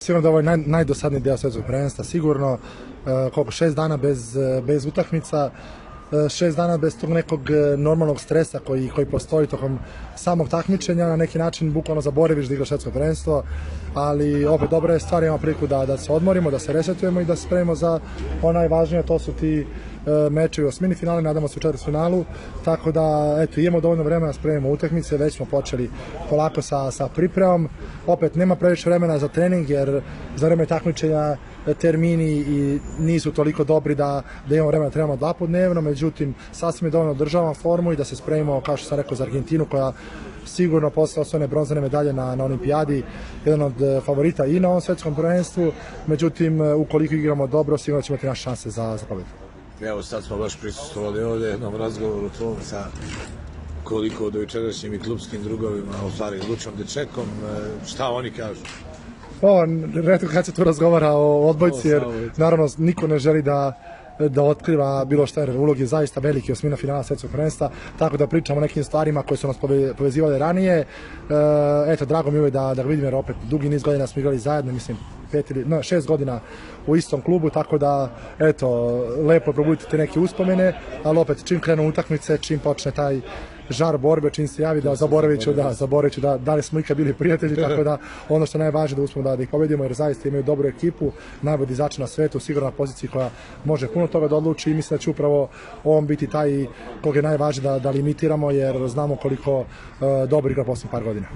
Sigurno da ovo je najdosadniji deo svetskog prvenstva, sigurno 6 dana bez utakmica, 6 dana bez tog nekog normalnog stresa koji postoji tokom samog takmičenja, na neki način bukvalno zaboraviš da igraš svetsko prvenstvo, ali opet dobra je stvar, imamo priliku da se odmorimo, da se resetujemo i da se spremimo za ono najvažnije, to su ti mečevi u osmini finale, nadamo se u četvrtfinalu, tako da eto, imamo dovoljno vremena da spremimo utakmice, već smo počeli polako sa pripremom, opet nema previše vremena za trening jer za vreme takmičenja termini i nisu toliko dobri da imamo vremena da trebamo 2 puta dnevno, međutim sasvim je dovoljno državamo formu i da se spremimo, kao što sam rekao, za Argentinu koja sigurno posle osvojene bronzane medalje na olimpijadi jedan od favorita i na ovom svetskom prvenstvu, međutim ukoliko igramo dobro sigurno ćemo imati naše šanse za pobedu. Evo sad smo baš prisustvovali ovde jednom razgovoru tvom sa koliko do jučerašnjim i klubskim drugovima, u stvari Lučom Dečekom, šta oni kažu? Retko kad se tu razgovara o odbojci, jer naravno niko ne želi da otkriva bilo šta, jer ulog je zaista veliki, osmina finala svetskog prvenstva, tako da pričamo o nekim stvarima koje su nas povezivale ranije. Eto, drago mi je da vidim, jer opet dugi niz godina smo igrali zajedno, mislim 6 godina u istom klubu, tako da eto, lepo je probuditi te neke uspomene, ali opet čim krenu utakmice, čim počne taj žar borbe, čim se javi da zaboravit ću da li smo ikad bili prijatelji, tako da ono što je najvažnije da uspemo da ih pobedimo, jer zaista imaju dobru ekipu, najbolji dizači na svetu, sigurno na poziciji koja može puno toga da odluči i mislim da će upravo on biti taj koga je najvažnije da limitiramo, jer znamo koliko dobro igra posljednjih par godina.